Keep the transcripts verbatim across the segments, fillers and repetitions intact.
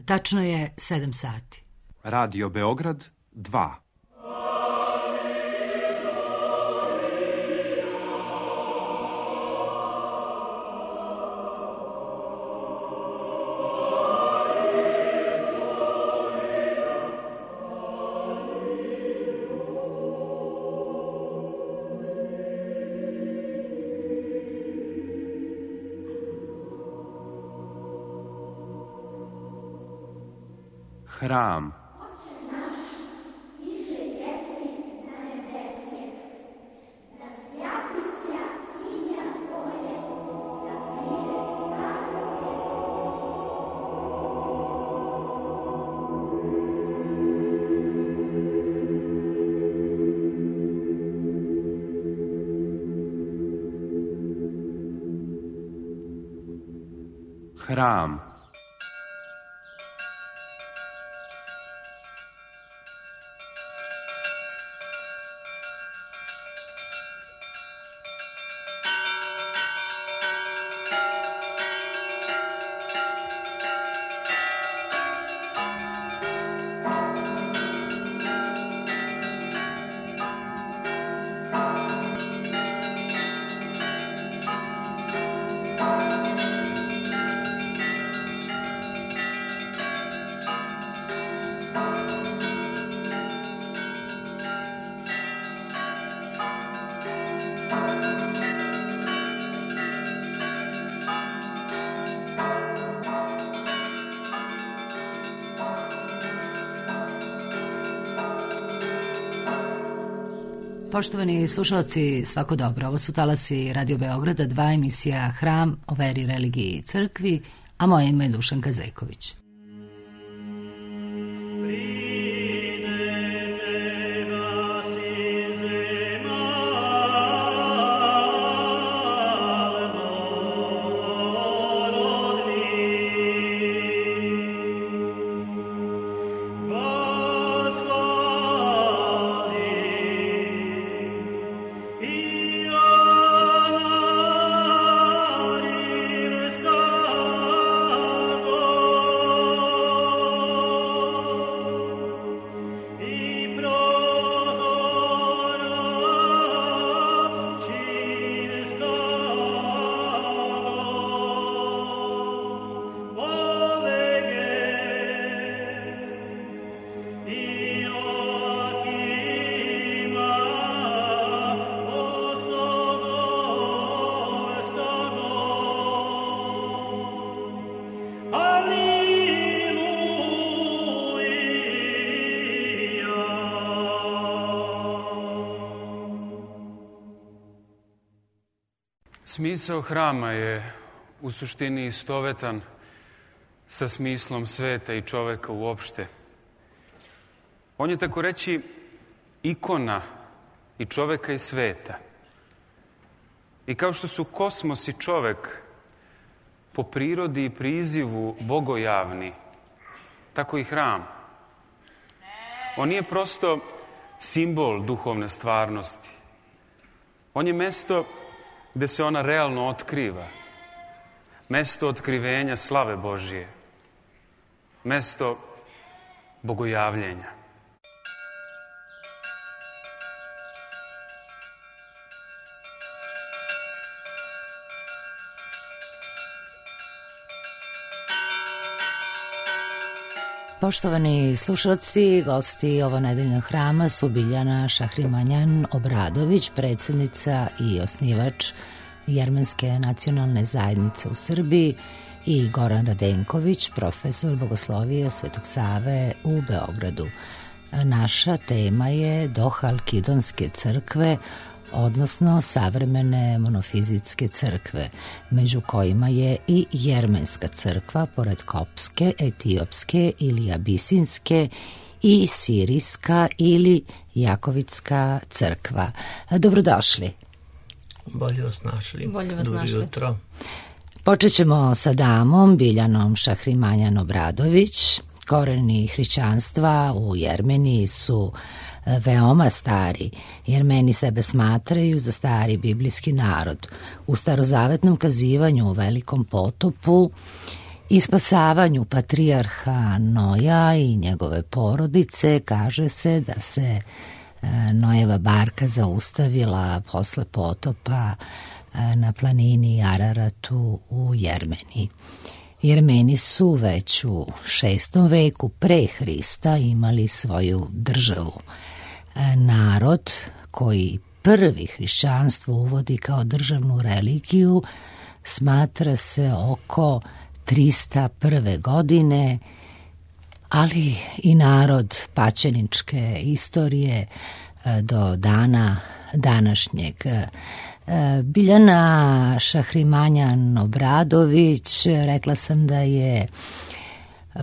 Tačno je sedam sati. Radio Beograd dva. Hram. Hram. Poštovani slušalci, svako dobro. Ovo su talasi Radio Beograda, dva, emisija Hram o veri, religiji i crkvi, a moje ime je Dušanka Zejković. Smisao hrama je u suštini istovetan sa smislom sveta i čoveka uopšte. On je, tako reći, ikona i čoveka i sveta. I kao što su kosmos i čovek po prirodi i prizivu bogojavni, tako i hram. On nije prosto simbol duhovne stvarnosti. On je mesto gde se ona realno otkriva. Mesto otkrivenja slave Božije. Mesto bogojavljenja. Poštovani slušalci, gosti ovonedeljnog hrama su Biljana Šahrimanjan Obradović, predsjednica i osnivač Jermenske nacionalne zajednice u Srbiji, i Goran Radenković, profesor bogoslovije Svetog Save u Beogradu. Naša tema je Dohalkidonske crkve, odnosno savremene monofizitske crkve, među kojima je i Jermenska crkva, pored kopske, etiopske ili abisinske, i sirijska ili jakovitska crkva. Dobrodošli. Bolje vas našli. Bolje vas Dobro našli. jutro. Počet ćemo sa damom Biljanom Šahrimanjan Obradović. Koreni hrišćanstva u Jermeniji su veoma stari. Jermeni sebe smatraju za stari biblijski narod. U starozavetnom kazivanju u Velikom potopu I spasavanju patrijarha Noja i njegove porodice kaže se da se Nojeva barka zaustavila posle potopa na planini Araratu u Jermeniji. Jermeni su već u šestom veku pre Hrista imali svoju državu. Narod koji prvi hrišćanstvo uvodi kao državnu religiju smatra se oko trista prve godine, ali i narod pačeničke istorije do dana današnjeg. Biljana Šahrimanjan Obradović, rekla sam da je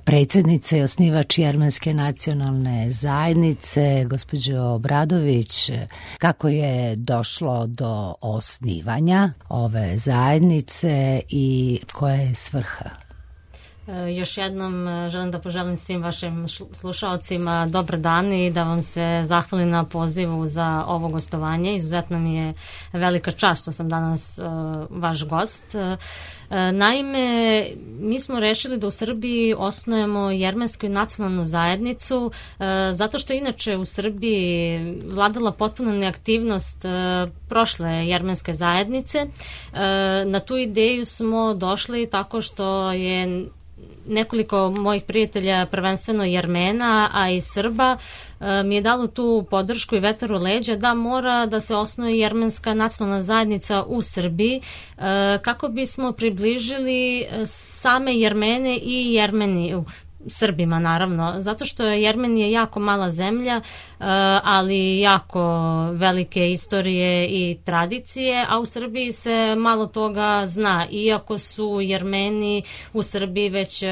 predsjednica i osnivač Jermenske nacionalne zajednice. Gospođo Obradović, kako je došlo do osnivanja ove zajednice i koja je svrha? Još jednom želim da poželim svim vašim slušalcima dobar dan i da vam se zahvalim na pozivu za ovo gostovanje. Izuzetno mi je velika čast što sam danas uh, vaš gost. Uh, naime, mi smo rešili da u Srbiji osnujemo Jermensku nacionalnu zajednicu uh, zato što inače u Srbiji vladala potpuna neaktivnost uh, prošle Jermenske zajednice. Uh, na tu ideju smo došli tako što je nekoliko mojih prijatelja, prvenstveno Jermena, a i Srba, mi je dalo tu podršku i vetar u leđa da mora da se osnuje Jermenska nacionalna zajednica u Srbiji kako bismo približili same Jermene i Jermeniju, Srbima naravno, zato što je Jermenija jako mala zemlja, ali jako velike istorije i tradicije, a u Srbiji se malo toga zna, iako su Jermeni u Srbiji već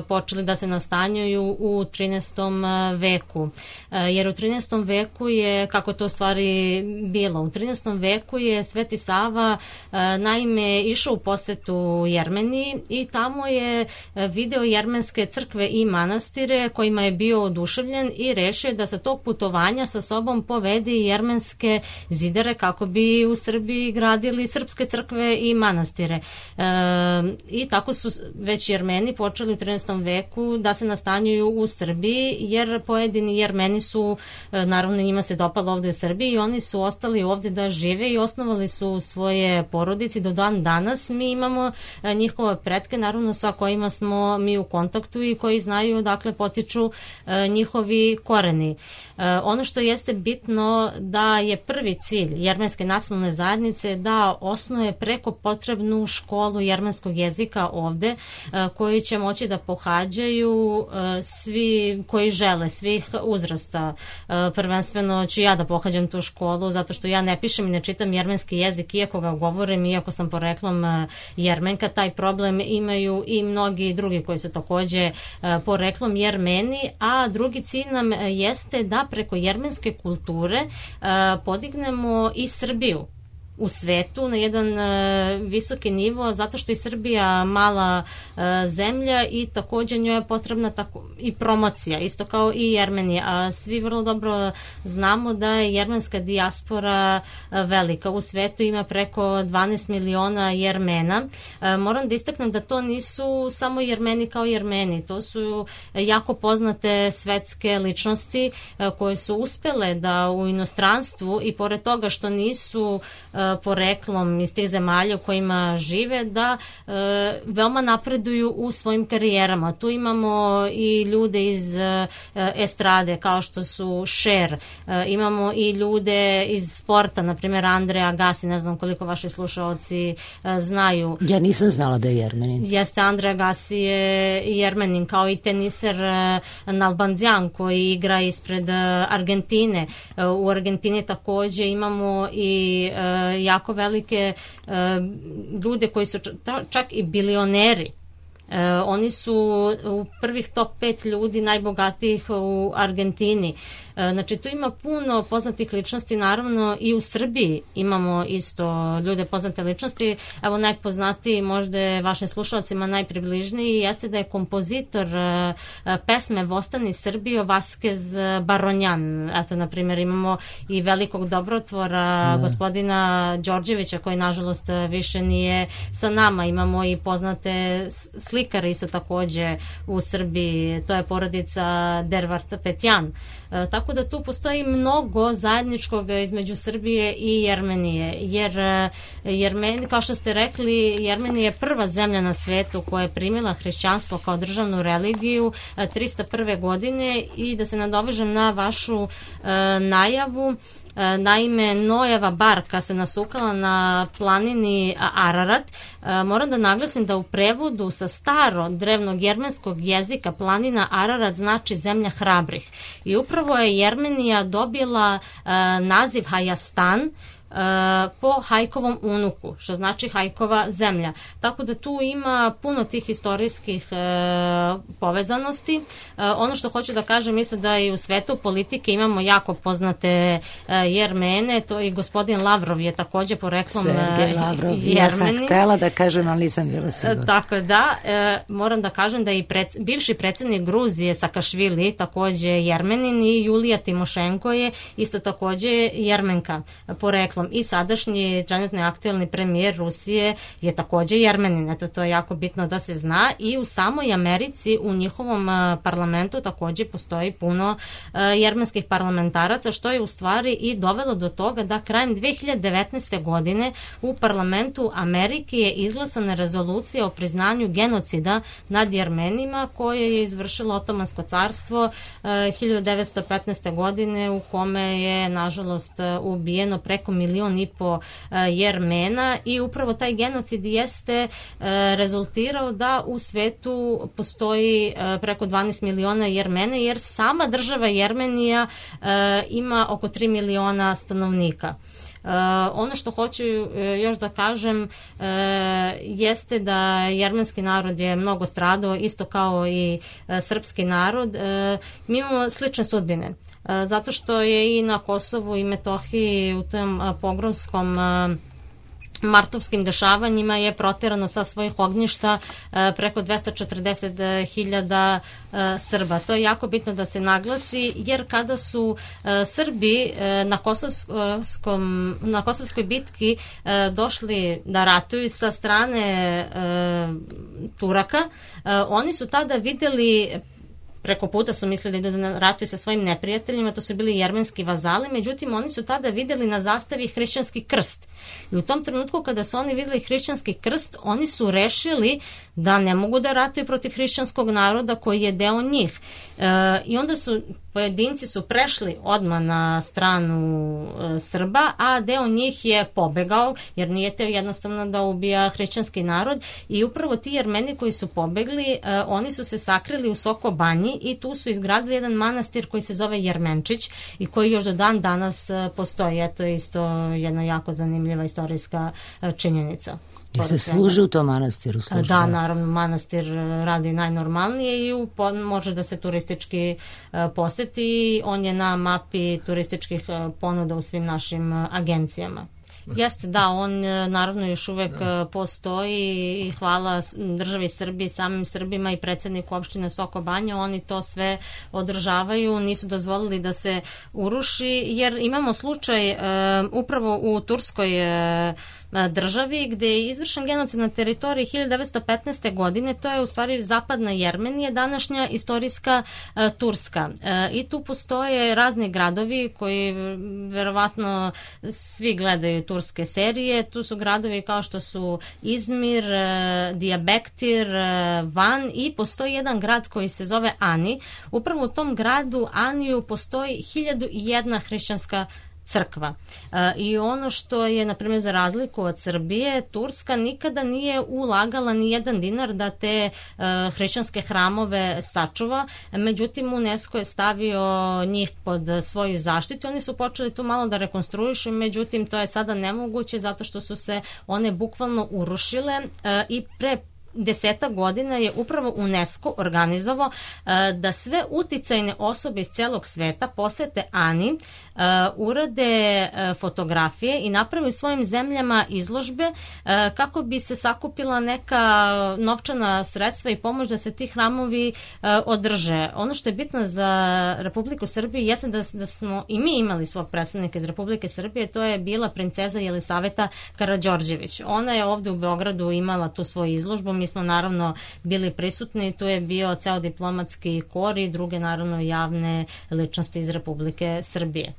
počeli da se nastanjuju u trinaestom veku. Jer u trinaestom veku je, kako to stvari bilo, u trinaestom veku je Sveti Sava naime išao u posetu Jermeniji i tamo je video jermenske crkve i manastire kojima je bio oduševljen i rešio da sa tog putovanja sa sobom povede jermenske zidare kako bi u Srbiji gradili srpske crkve i manastire. E, I tako su već Jermeni počeli u trinaestom veku da se nastanjuju u Srbiji, jer pojedini Jermeni su, naravno njima se dopalo ovde u Srbiji i oni su ostali ovde da žive i osnovali su svoje porodice. Do dan danas mi imamo njihove pretke, naravno sa kojima smo mi u kontaktu i koji znaju dakle potiču e, njihovi koreni. E, ono što jeste bitno da je prvi cilj Jermenske nacionalne zajednice da osnuje preko potrebnu školu jermenskog jezika ovde, e, koju će moći da pohađaju e, svi koji žele, svih uzrasta. E, prvenstveno ću ja da pohađam tu školu, zato što ja ne pišem i ne čitam jermenski jezik, iako ga govorim, iako sam poreklom e, Jermenka. Taj problem imaju i mnogi drugi koji su takođe e, poreklom Jermeni, a drugi cilj nam jeste da preko jermenske kulture uh, podignemo i Srbiju u svetu na jedan uh, visoki nivo, zato što je Srbija mala uh, zemlja i takođe njoj je potrebna tako, i promocija, isto kao i Jermenija. A svi vrlo dobro znamo da je jermenska dijaspora uh, velika. U svetu ima preko dvanaest miliona Jermena. Uh, moram da istaknem da to nisu samo Jermeni kao Jermeni, to su jako poznate svetske ličnosti uh, koje su uspele da u inostranstvu i pored toga što nisu uh, poreklom iz tih zemalja u kojima žive, da e, veoma napreduju u svojim karijerama. Tu imamo i ljude iz e, estrade kao što su Cher, e, imamo i ljude iz sporta, na primjer Andrea Agassi, ne znam koliko vaši slušalci e, znaju. Ja nisam znala da je Jermenin. Jeste, Andrea Agassi je Jermenin, kao i teniser e, Nalbandian koji igra ispred e, Argentine. E, u Argentini takođe imamo i e, jako velike uh, ljude koji su čak i bilioneri. Uh, oni su u prvih top pet ljudi najbogatijih u Argentini. Uh, znači tu ima puno poznatih ličnosti, naravno i u Srbiji imamo isto ljude poznate ličnosti. Evo najpoznatiji, možda je vašim slušalcima najpribližniji, jeste da je kompozitor uh, pesme Vostani Srbijo Vaskez Baronjan. Eto, na primjer, imamo i velikog dobrotvora mm. gospodina Đorđevića koji nažalost više nije sa nama. Imamo i poznate slike slikari su takođe u Srbiji, to je porodica Dervart Petjan. Tako da tu postoji mnogo zajedničkog između Srbije i Jermenije, jer Jermeni, kao što ste rekli, Jermenija je prva zemlja na svetu koja je primila hrišćanstvo kao državnu religiju trista prve godine i da se nadovežem na vašu najavu, naime Noeva barka se nasukala na planini Ararat. Moram da naglasim da u prevodu sa staro drevnog jermenskog jezika planina Ararat znači zemlja hrabrih i upravo je Jermenija dobila naziv Hajastan po Hajkovom unuku, što znači Hajkova zemlja. Tako da tu ima puno tih istorijskih e, povezanosti. E, ono što hoću da kažem, mislim da i u svetu politike imamo jako poznate e, Jermene, to i gospodin Lavrov je takođe poreklom Sergej Lavrov, ja sam htela da kažem, ali nisam bila sigurna. E, tako da, e, moram da kažem da i pred, bivši predsjednik Gruzije Sakašvili takođe Jermenin i Julija Timošenko je isto takođe Jermenka poreklom. I sadašnji trenutno aktuelni premijer Rusije je takođe Jermenin. Eto, to je jako bitno da se zna i u samoj Americi u njihovom parlamentu takođe postoji puno jermenskih parlamentaraca, što je u stvari i dovelo do toga da krajem dve hiljade devetnaeste. godine u parlamentu Amerike je izglasana rezolucija o priznanju genocida nad Jermenima koje je izvršilo Otomansko carstvo hiljadu devetsto petnaeste. godine u kome je nažalost ubijeno preko milion i po Jermena i upravo taj genocid jeste rezultirao da u svetu postoji preko dvanaest miliona Jermena, jer sama država Jermenija ima oko tri miliona stanovnika. Uh, ono što hoću još da kažem uh, jeste da jermenski narod je mnogo stradao, isto kao i uh, srpski narod. Uh, mi imamo slične sudbine. Uh, zato što je i na Kosovu i Metohiji u tom uh, pogromskom uh, martovskim dešavanjima je proterano sa svojih ognjišta preko dvesta četrdeset hiljada Srba. To je jako bitno da se naglasi, jer kada su Srbi na, Kosovskom, na Kosovskoj bitki došli da ratuju sa strane Turaka, oni su tada videli, preko puta su mislili da idu da ratuju sa svojim neprijateljima, to su bili jermenski vazali, međutim oni su tada videli na zastavi hrišćanski krst. I u tom trenutku kada su oni videli hrišćanski krst, oni su rešili da ne mogu da ratuju protiv hrišćanskog naroda koji je deo njih. E, I onda su pojedinci su prešli odmah na stranu e, Srba, a deo njih je pobegao, jer nije teo jednostavno da ubija hrišćanski narod. I upravo ti Jermeni koji su pobegli, e, oni su se sakrili u Soko Banji i tu su izgradili jedan manastir koji se zove Jermenčić i koji još do dan danas e, postoji. Eto je isto jedna jako zanimljiva istorijska e, činjenica. I se služi u tom manastiru? Služi, da, naravno, manastir radi najnormalnije i u, može da se turistički uh, poseti. On je na mapi turističkih uh, ponuda u svim našim uh, agencijama. Jeste, da, on naravno još uvek da. postoji i hvala državi Srbiji, samim Srbima i predsjedniku opštine Soko Banja, oni to sve održavaju, nisu dozvolili da se uruši, jer imamo slučaj uh, upravo u Turskoj uh, državi gde je izvršen genocid na teritoriji hiljadu devetsto petnaeste. godine, to je u stvari zapadna Jermenija, današnja istorijska uh, Turska. Uh, I tu postoje razni gradovi koji verovatno svi gledaju turske serije. Tu su gradovi kao što su Izmir, uh, Diyarbakir, uh, Van i postoji jedan grad koji se zove Ani. Upravo u tom gradu Aniju postoji hiljadu i jedna hrišćanska crkva. E, I ono što je, na primjer, za razliku od Srbije, Turska nikada nije ulagala ni jedan dinar da te e, hrišćanske hramove sačuva, međutim UNESCO je stavio njih pod svoju zaštitu. Oni su počeli tu malo da rekonstruišu, međutim to je sada nemoguće zato što su se one bukvalno urušile e, i pre desetak godina je upravo UNESCO organizovao uh, da sve uticajne osobe iz celog sveta posete Ani, uh, urade uh, fotografije i naprave u svojim zemljama izložbe uh, kako bi se sakupila neka novčana sredstva i pomoć da se ti hramovi uh, održe. Ono što je bitno za Republiku Srbiju jeste da, da smo i mi imali svog predstavnika iz Republike Srbije, to je bila princeza Jelisaveta Karađorđević. Ona je ovde u Beogradu imala tu svoju izložbu, mi smo naravno bili prisutni, tu je bio ceo diplomatski kor i druge naravno javne ličnosti iz Republike Srbije.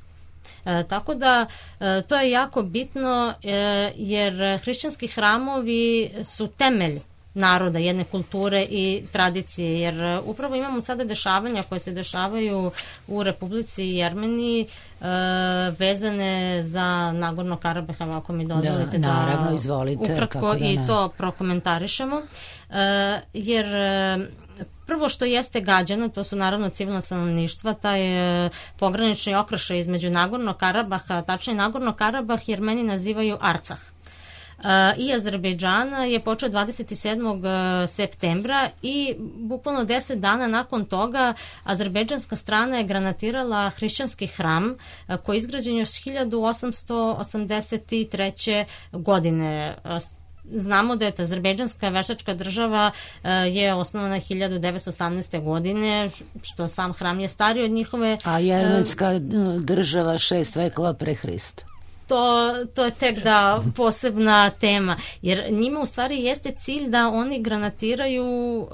E, tako da e, to je jako bitno e, jer hrišćanski hramovi su temelj naroda, jedne kulture i tradicije, jer upravo imamo sada dešavanja koje se dešavaju u Republici Jermeniji e, vezane za Nagorno Karabah, ako mi dozvolite da, naravno, da izvolite, ukratko da i to prokomentarišemo, e, jer prvo što jeste gađano, to su naravno civilna stanovništva, taj e, pogranični okršaj između Nagorno Karabaha, tačnije Nagorno Karabah Jermeni nazivaju Arcah. I Azerbejdžana je počeo dvadeset sedmog septembra i bukvalno deset dana nakon toga azerbejdžanska strana je granatirala hrišćanski hram koji je izgrađen još hiljadu osamsto osamdeset treće. godine. Znamo da je azerbejdžanska veštačka država je osnovana hiljadu devetsto osamnaeste. godine, što sam hram je stariji od njihove... A jermenska država šest vekova pre Hrista. To, to je tek da posebna tema, jer njima u stvari jeste cilj da oni granatiraju uh,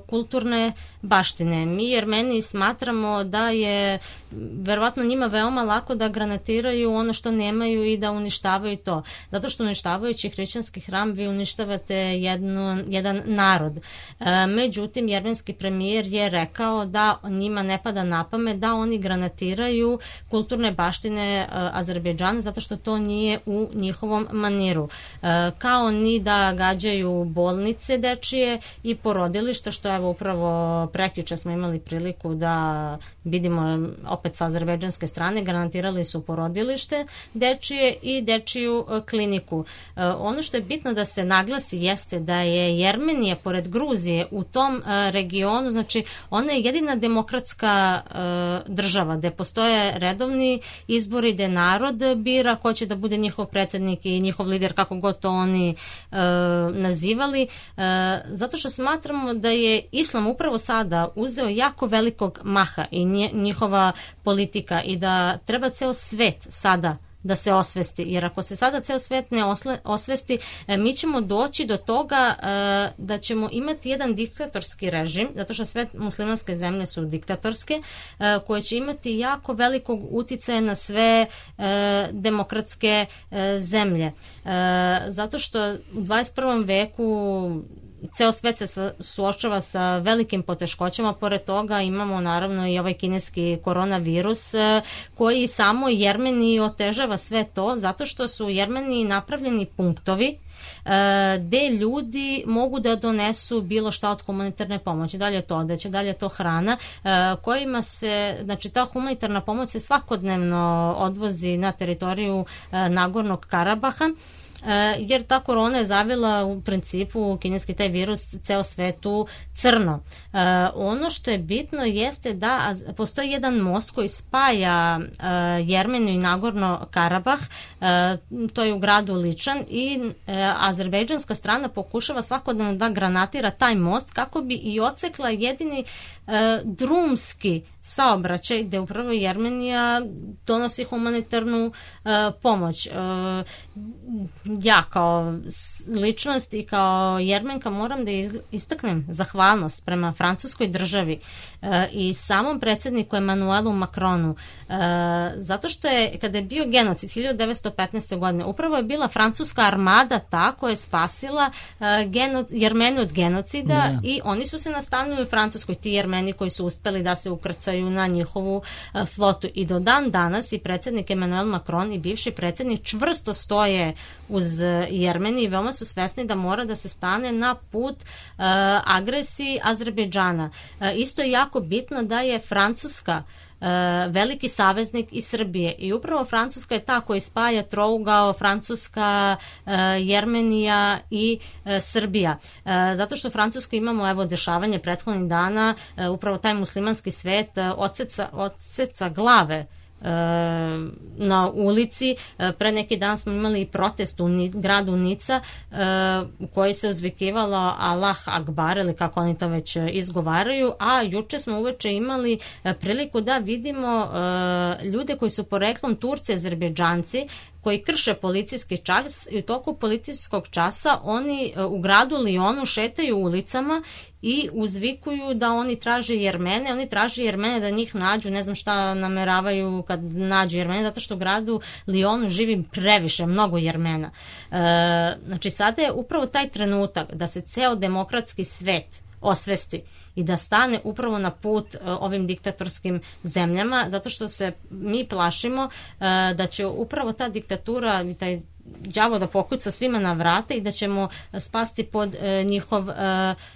kulturne baštine. Mi Jermeni smatramo da je verovatno njima veoma lako da granatiraju ono što nemaju i da uništavaju to. Zato što uništavajući hrišćanski hram vi uništavate jednu, jedan narod. Uh, međutim, jermenski premijer je rekao da njima ne pada na pamet da oni granatiraju kulturne baštine uh, Azerbejdžana zato što to nije u njihovom maniru. E, kao ni da gađaju bolnice dečije i porodilišta, što evo upravo prekjuče smo imali priliku da vidimo opet sa azerbejdžanske strane, garantirali su porodilište dečije i dečiju kliniku. E, ono što je bitno da se naglasi jeste da je Jermenija pored Gruzije u tom e, regionu, znači ona je jedina demokratska e, država gde postoje redovni izbori, gde narod bira ko će da bude njihov predsjednik i njihov lider, kako god to oni e, nazivali, e, zato što smatramo da je islam upravo sada uzeo jako velikog maha i njihova politika i da treba ceo svet sada da se osvesti, jer ako se sada ceo svet ne osle, osvesti, mi ćemo doći do toga e, da ćemo imati jedan diktatorski režim, zato što sve muslimanske zemlje su diktatorske, e, koje će imati jako velikog uticaja na sve e, demokratske e, zemlje. E, zato što u dvadeset prvom veku ceo svet se suočava sa velikim poteškoćama, pored toga imamo naravno i ovaj kineski koronavirus koji samo Jermeniji otežava sve to, zato što su u Jermeniji napravljeni punktovi gde ljudi mogu da donesu bilo šta od humanitarne pomoći, dalje to odeće, dalje to hrana, kojima se, znači ta humanitarna pomoć se svakodnevno odvozi na teritoriju Nagornog Karabaha, jer ta korona je zavila u principu kineski taj virus ceo svetu crno. E, ono što je bitno jeste da postoji jedan most koji spaja e, Jermeniju i Nagorno Karabah, e, to je u gradu Ličan i e, azerbejdžanska strana pokušava svakodnevno da granatira taj most kako bi i odsekla jedini e, drumski saobraćaj gde upravo Jermenija donosi humanitarnu e, pomoć. E, ja kao ličnost i kao Jermenka moram da istaknem zahvalnost prema francuskoj državi e, i samom predsjedniku Emanuelu Macronu, e, zato što je, kada je bio genocid hiljadu devetsto petnaeste. godine, upravo je bila francuska armada ta koja je spasila e, geno, Jermene od genocida yeah. i oni su se nastanili u Francuskoj, ti Jermeni koji su uspeli da se ukrcaju na njihovu e, flotu i do dan danas i predsjednik Emanuel Macron i bivši predsjednik čvrsto stoje uz Jermeniju i veoma su svesni da mora da se stane na put uh, agresiji Azerbejdžana. Uh, isto je jako bitno da je Francuska uh, veliki saveznik iz Srbije i upravo Francuska je ta koja spaja trougao Francuska, uh, Jermenija i uh, Srbija. Uh, zato što u Francuskoj imamo evo dešavanje prethodnih dana, uh, upravo taj muslimanski svet uh, odseca, odseca glave na ulici. Pre neki dan smo imali protest u gradu Nica u kojoj se uzvikivalo Allah Akbar ili kako oni to već izgovaraju, a juče smo uveče imali priliku da vidimo ljude koji su poreklom Turci, Azerbejdžanci, koji krše policijski čas i u toku policijskog časa oni u gradu Lionu šetaju ulicama i uzvikuju da oni traže Jermene, oni traže Jermene da njih nađu, ne znam šta nameravaju kad nađu Jermene, zato što u gradu Lionu živi previše, mnogo Jermena. E, znači sada je upravo taj trenutak da se ceo demokratski svet osvesti i da stane upravo na put uh, ovim diktatorskim zemljama, zato što se mi plašimo uh, da će upravo ta diktatura i taj đavo da pokuca svima na vrate i da ćemo spasti pod uh, njihov uh,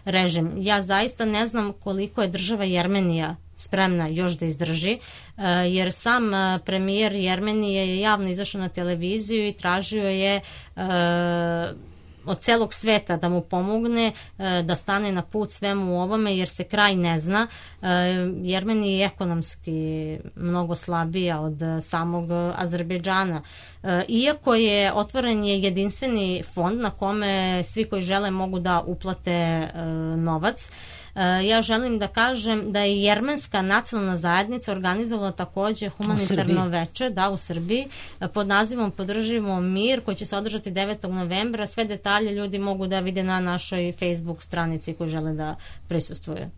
režim. Ja zaista ne znam koliko je država Jermenija spremna još da izdrži, uh, jer sam uh, premijer Jermenije je javno izašao na televiziju i tražio je uh, od celog sveta da mu pomogne da stane na put svemu ovome, jer se kraj ne zna. Jermenija je ekonomski mnogo slabija od samog Azerbejdžana. Iako je otvoren je jedinstveni fond na kome svi koji žele mogu da uplate novac, ja želim da kažem da je jermenska nacionalna zajednica organizovala takođe humanitarno veče, da, u Srbiji, pod nazivom Podržimo mir, koji će se održati devetog novembra. Sve detalje ljudi mogu da vide na našoj Facebook stranici koji žele da prisustvuju.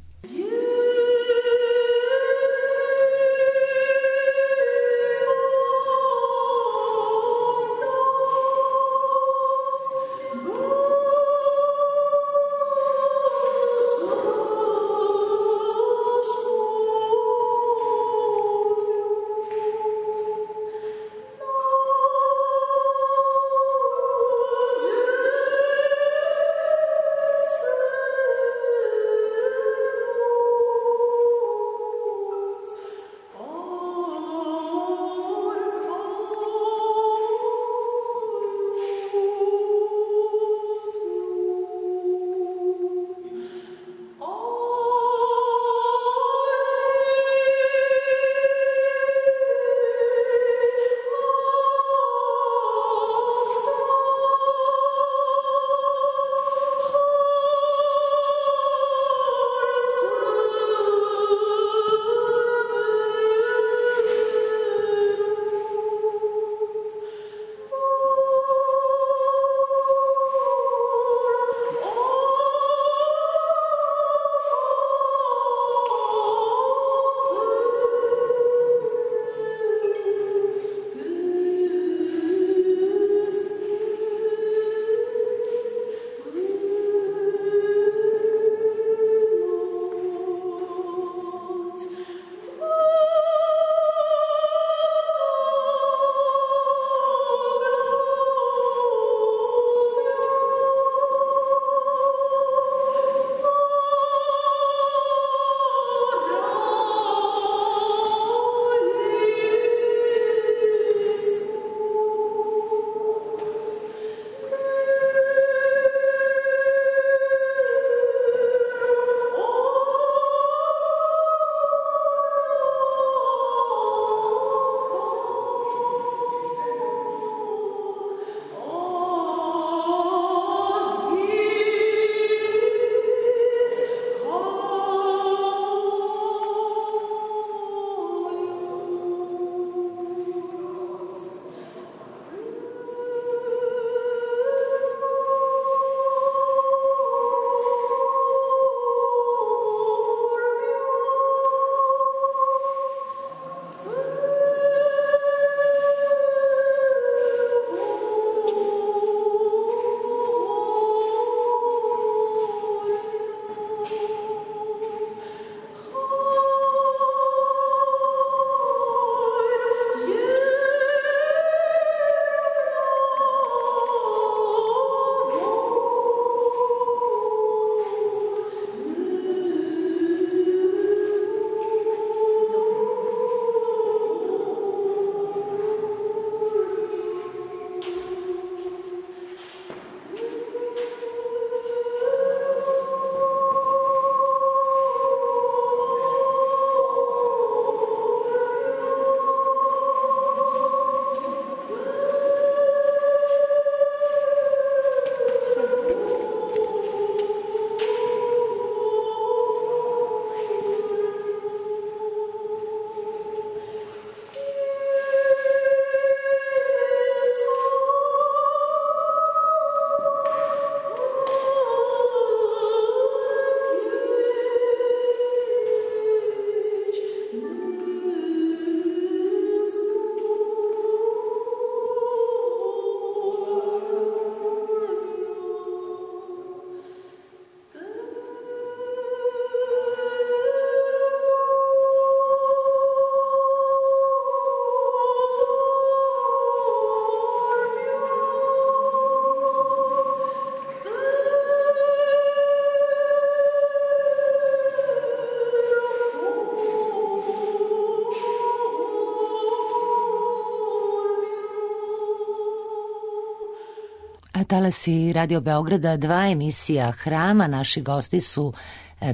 talasi Radio Beograda dva, emisija Hrama. Naši gosti su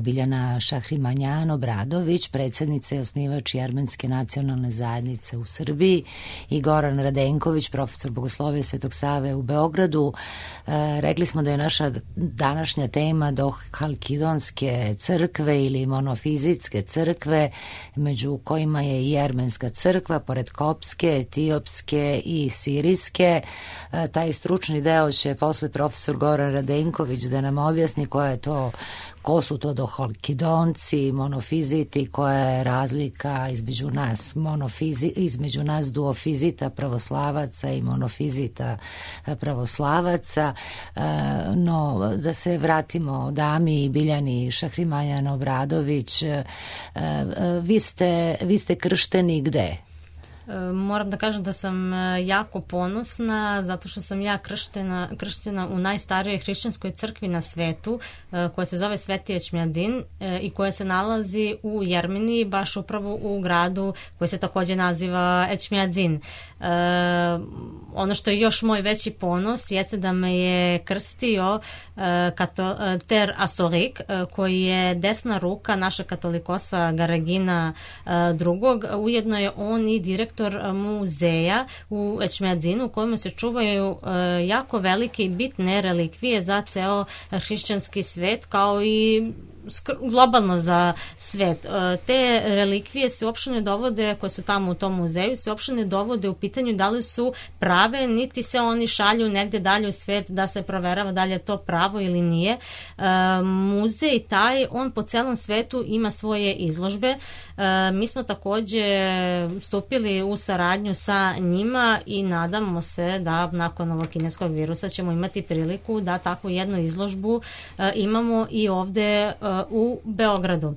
Biljana Šahrimanjan Obradović, predsjednica i osnivač Jermenske nacionalne zajednice u Srbiji, i Goran Radenković, profesor bogoslovije Svetog Save u Beogradu. E, rekli smo da je naša današnja tema do Halkidonske crkve ili monofizitske crkve, među kojima je i Jermenska crkva, pored kopske, etiopske i sirijske. E, taj stručni deo će posle profesor Goran Radenković da nam objasni koja je to, ko su to dohalkidonci, monofiziti, koja je razlika između nas monofizi, između nas duofizita pravoslavaca i monofizita pravoslavaca. No, da se vratimo dami Biljani Šahrimanjan Obradović, vi ste, vi ste kršteni gde? Moram da kažem da sam jako ponosna zato što sam ja krštena, krštena u najstarijoj hrišćanskoj crkvi na svetu, koja se zove Sveti Ečmjadin i koja se nalazi u Jermeniji, baš upravo u gradu koji se također naziva Ečmjadin. Ono što je još moj veći ponos jeste da me je krstio kato, Ter Asorik, koji je desna ruka naša katolikosa Garagina drugog. Ujedno je on i direktor muzeja u Ečmjadinu u kojem se čuvaju jako velike i bitne relikvije za ceo hrišćanski svet, kao i globalno za svet. Te relikvije se uopšte ne dovode, koje su tamo u tom muzeju, se uopšte ne dovode u pitanju da li su prave, niti se oni šalju negde dalje u svet da se proverava da li je to pravo ili nije. Muzej taj, on po celom svetu ima svoje izložbe. Mi smo takođe stupili u saradnju sa njima i nadamo se da nakon ovog kineskog virusa ćemo imati priliku da takvu jednu izložbu imamo i ovde u Beogradu.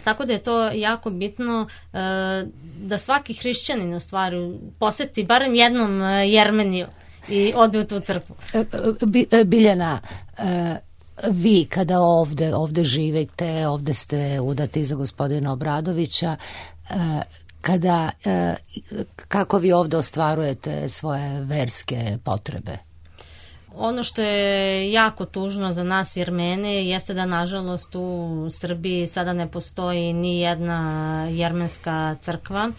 Tako da je to jako bitno da svaki hrišćanin u stvari poseti barem jednom Jermeniju i ode u tu crkvu. Biljana, vi kada ovde, ovde živite, ovde ste udati za gospodina Obradovića, kada, kako vi ovde ostvarujete svoje verske potrebe? Ono što je jako tužno za nas Jermene jeste da nažalost u Srbiji sada ne postoji ni jedna jermenska crkva. E,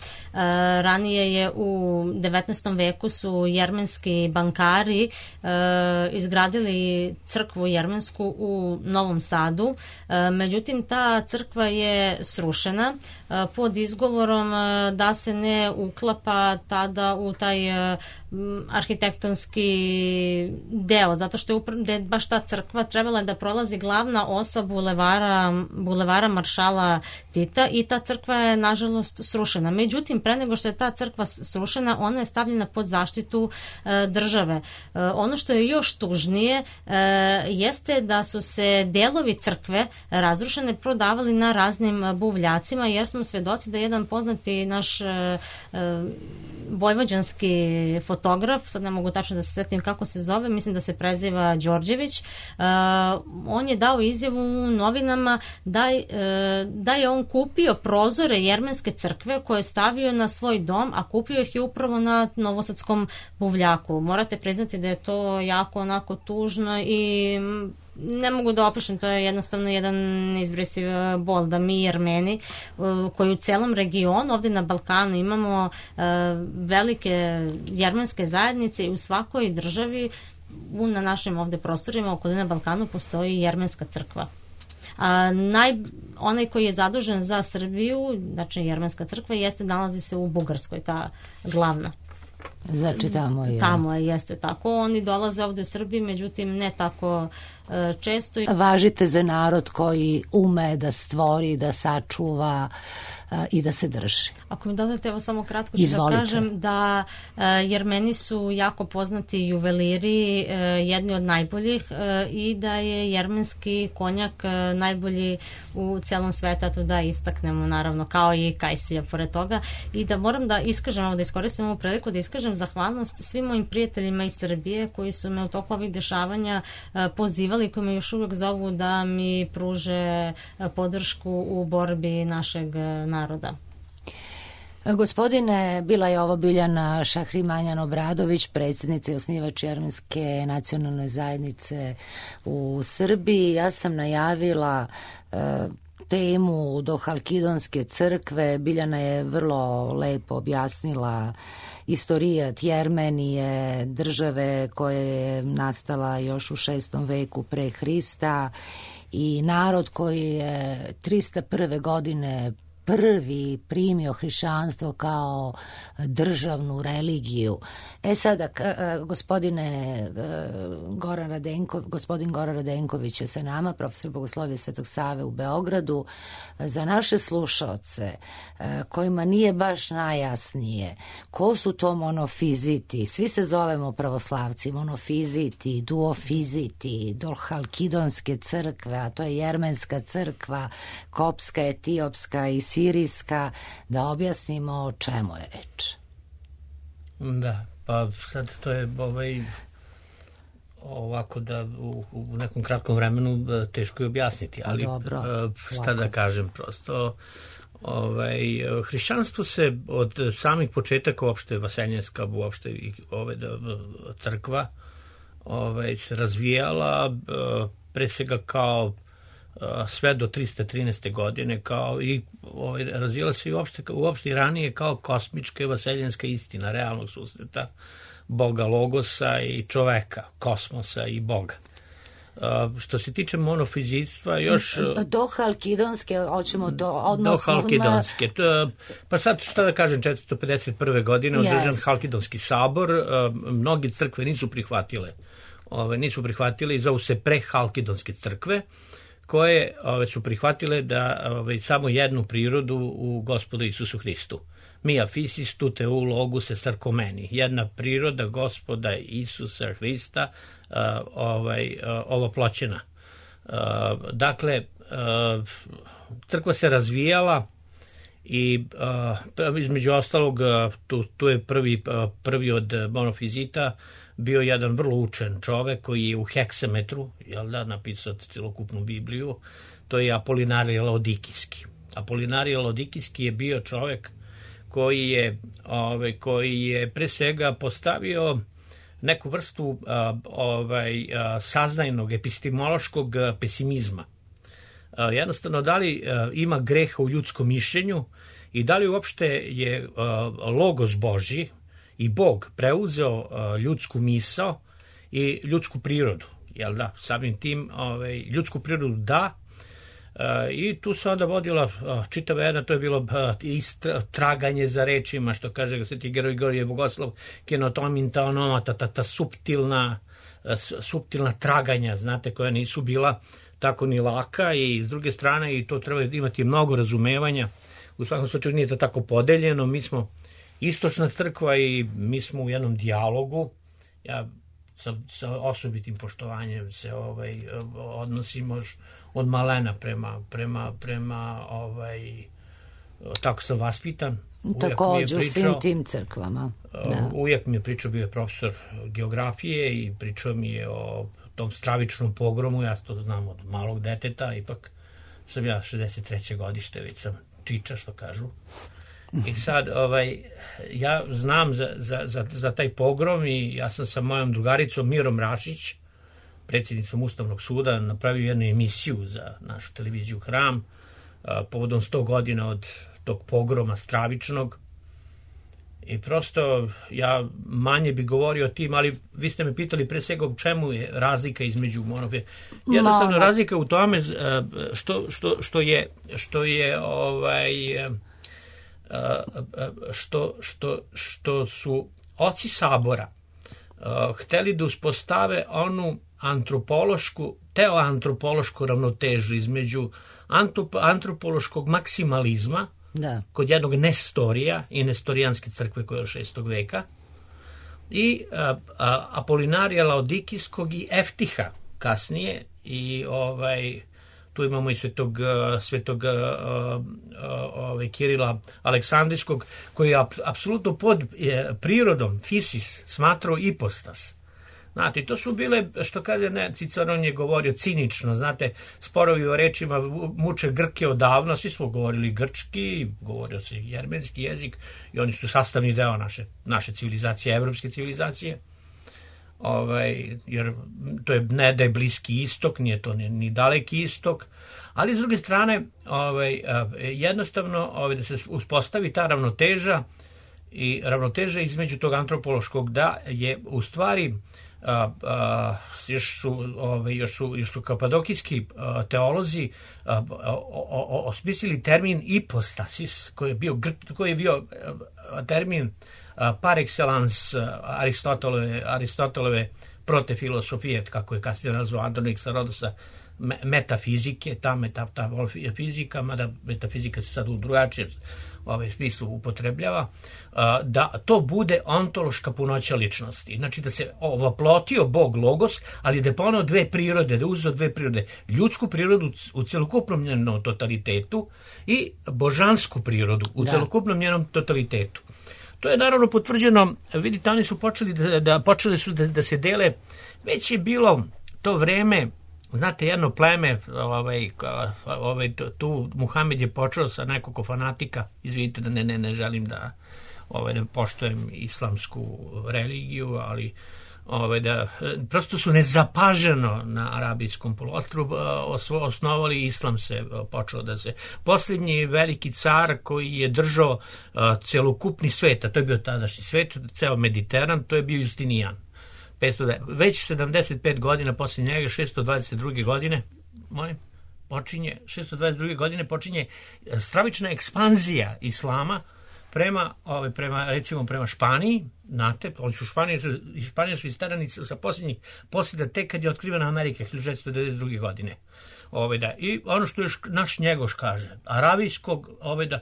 ranije je u devetnaestom veku su jermenski bankari e, izgradili crkvu jermensku u Novom Sadu. E, međutim, ta crkva je srušena e, pod izgovorom e, da se ne uklapa tada u taj e, arhitektonski deo, zato što je, upr- da je baš ta crkva trebala da prolazi glavna osa bulevara, bulevara Maršala Tita i ta crkva je nažalost srušena. Međutim, pre nego što je ta crkva srušena, ona je stavljena pod zaštitu e, države. E, ono što je još tužnije e, jeste da su se delovi crkve razrušene prodavali na raznim buvljacima, jer smo svedoci da jedan poznati naš e, e, vojvođanski fotograf, sad ne mogu tačno da se setim kako se zove, mislim da se preziva Đorđević, uh, on je dao izjavu u novinama da, uh, da je on kupio prozore jermenske crkve koje je stavio na svoj dom, a kupio ih je upravo na novosadskom buvljaku. Morate priznati da je to jako onako tužno i ne mogu da opišem, to je jednostavno jedan neizbrisiv bol da mi Jermeni koji u celom regionu ovde na Balkanu imamo uh, velike jermenske zajednice i u svakoj državi u, na našim ovde prostorima okolina Balkanu postoji jermenska crkva. A, naj, onaj koji je zadužen za Srbiju, znači jermenska crkva, jeste, nalazi se u Bugarskoj, ta glavna. Znači tamo je. Tamo je, jeste tako. Oni dolaze ovde u Srbiji, međutim ne tako e, često. Važite za narod koji ume da stvori, da sačuva e, i da se drži. Ako mi dodate, evo samo kratko ću Izvolite. da kažem da e, Jermeni su jako poznati juveliri, e, jedni od najboljih e, i da je jermenski konjak e, najbolji u celom svetu, a to da istaknemo naravno kao i kajsija pored toga, i da moram da iskažem, da iskoristim ovu priliku da iskažem zahvalnost svim mojim prijateljima iz Srbije koji su me u toku ovih dešavanja e, pozivali, koji me još uvek zovu da mi pruže e, podršku u borbi našeg e, naroda. Gospodine, bila je ovo Biljana Šahrimanjan Obradović, predsjednica i osnivač Jermenske nacionalne zajednice u Srbiji. Ja sam najavila e, temu do Halkidonske crkve. Biljana je vrlo lepo objasnila istorijat Jermenije, države koja je nastala još u šestom veku pre Hrista i narod koji je trista prve godine prvi primio hrišćanstvo kao državnu religiju. E sada, gospodine Goran Radenko, gospodin Goran Radenković je sa nama, profesor Bogoslovije Svetog Save u Beogradu. Za naše slušaoce kojima nije baš najjasnije ko su to monofiziti, svi se zovemo pravoslavci, monofiziti, duofiziti, dolhalkidonske crkve, a to je jermenska crkva, kopska, etiopska i sirijska, da objasnimo o čemu je reč. Da, pa sad to je ovaj, ovako da u, u nekom kratkom vremenu teško je objasniti, ali dobro, šta lako. Da kažem, prosto ovaj, hrišćanstvo se od samih početaka uopšte vaseljenska, uopšte i ove da, crkva ovaj, se razvijala pre svega kao sve do trista trinaeste. godine, kao i ovaj, razvijala se i uopšte, uopšte i ranije kao kosmička i vaseljenska istina realnog susreta Boga Logosa i čoveka, kosmosa i Boga. Uh, što se tiče monofizitstva, još... Do Halkidonske, hoćemo to odnosno... Do Halkidonske. To, pa sad, šta da kažem, četiristo pedeset prve. godine održan yes. Halkidonski sabor, uh, mnogi crkve nisu prihvatile, ove, nisu prihvatile i zovu se prehalkidonske crkve, koje ove, su prihvatile da ove, samo jednu prirodu u Gospodu Isusu Hristu. Mia fisis tute u loguse sarkomeni. Jedna priroda Gospoda Isusa Hrista uh, ovaj, uh, ovoploćena. Uh, dakle, uh, crkva se razvijala i uh, između ostalog uh, tu, tu je prvi, uh, prvi od monofizita bio jedan vrlo učen čovek koji je u heksametru, jel da, napisao celokupnu Bibliju, to je Apolinarije Laodikijski. Apolinarije Laodikijski je bio čovek koji je, ovaj, koji je pre svega postavio neku vrstu a, ovaj, a, saznajnog, epistemološkog pesimizma. A, jednostavno, da li a, ima greha u ljudskom mišljenju i da li uopšte je a, logos Božji i Bog preuzeo a, ljudsku misao i ljudsku prirodu. Jel da? Samim tim ovaj, ljudsku prirodu da, Uh, i tu se onda vodila uh, čitava jedna, to je bilo uh, istra, traganje za rečima, što kaže Sveti Grigorije Bogoslov, kenotominta onomata, ta, ta suptilna, uh, suptilna traganja, znate, koja nisu bila tako ni laka i s druge strane i to treba imati mnogo razumevanja. U svakom slučaju nije to tako podeljeno, mi smo istočna crkva i mi smo u jednom dijalogu. Ja sa, sa osobitim poštovanjem se ovaj, odnosimo od malena prema, prema, prema ovaj, tako sam vaspitan. Također u svim tim crkvama. Da. Uvijek mi je pričao, bio je profesor geografije i pričao mi je o tom stravičnom pogromu, ja to znam od malog deteta, ipak sam ja šezdeset treće godište, već sam čiča, što kažu. I sad, ovaj, ja znam za, za, za, za taj pogrom i ja sam sa mojom drugaricom Mirom Rašić, predsjednicom Ustavnog suda, napravio jednu emisiju za našu televiziju Hram, a, povodom sto godina od tog pogroma stravičnog. I prosto ja manje bi govorio o tim, ali vi ste me pitali pre svega u čemu je razlika između monofizma. Jednostavno razlika u tome što, što, što je, što je ovaj... Što, što, što su oci sabora uh, hteli da uspostave onu antropološku, teoantropološku ravnotežu između antop, antropološkog maksimalizma da. Kod jednog Nestorija i Nestorijanske crkve koja je od šestog veka i uh, uh, Apolinarija Laodikijskog i Eftiha kasnije i ovaj tu imamo i svetog, svetog uh, uh, Kirila Aleksandrijskog, koji je ap, apsolutno pod je, prirodom, fisis, smatrao ipostas. Znate, to su bile, što kaže, ne, Ciceron je govorio cinično, znate, sporovi o rečima muče Grke odavno, svi smo govorili grčki, govorio se jermenski jezik i oni su sastavni deo naše, naše civilizacije, evropske civilizacije. Ovaj, jer to je ne da je Bliski istok, nije to ni, ni daleki istok, ali s druge strane ovaj, jednostavno ovaj, da se uspostavi ta ravnoteža i ravnoteža između tog antropološkog da je u stvari a, a, još su ovaj, još su još su kapadokijski a, teolozi a, a, a, osmislili termin ipostasis koji je bio koji je bio a, termin a, par excellence Aristotelove Aristotelove protefilosofije, kako je kasnije nazvao Androniksa Rodosa, metafizike, ta metafizika, mada metafizika se sad u drugačijem ovaj smislu upotrebljava, da to bude ontološka punoća ličnosti. Znači da se ovoplotio Bog Logos, ali da je poneo dve prirode, da je uzeo dve prirode. Ljudsku prirodu u celokupnom njenom totalitetu i božansku prirodu u da. celokupnom njenom totalitetu. To je naravno potvrđeno, vidite, oni su počeli da, da, počeli su da, da se dele, već je bilo to vreme. Znate, jedno pleme, ovaj, ovaj, tu Muhamed je počeo sa nekoliko fanatika, izvidite da ne, ne, ne želim da, ovaj, da poštujem islamsku religiju, ali ovaj, da, prosto su nezapaženo na arabijskom poluostrvu osnovali islam, se počeo da se... Posljednji veliki car koji je držao celokupni svet, a to je bio tadašnji svet, ceo Mediteran, to je bio Justinijan. Već sedamdeset pet godina posle njega, šesto dvadeset druge godine, moje, počinje, šesto dvadeset druge godine počinje stravična ekspanzija islama prema, ove, prema, recimo, prema Španiji. Znate, oni su Španije, su, Španije su istarani sa posljednjih posljeda tek kad je otkrivena Amerika, hiljadu šesto devedeset druge godine. Ove, da, i ono što još naš Njegoš kaže, arabijskog, ove, da, a,